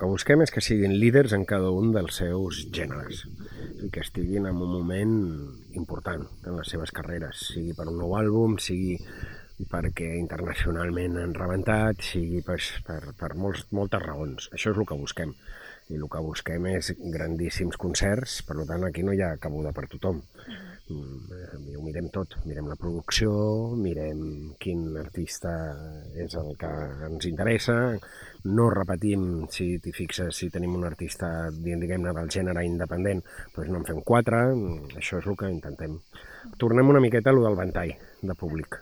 que busquem és que siguin líders en cada un dels seus gèneres i que estiguin en un moment important en les seves carreres, sigui per un nou àlbum, sigui perquè internacionalment han rebentat, sigui per moltes raons. Això és el que busquem. I el que busquem és grandíssims concerts, per tant aquí no hi ha cabuda per tothom. Ho mirem tot, mirem la producció, mirem quin artista és el que ens interessa, no repetim, si t'hi fixes, si tenim un artista, diguem-ne, del gènere independent, doncs no en fem 4, això és el que intentem. Tornem una miqueta a lo del ventall de públic.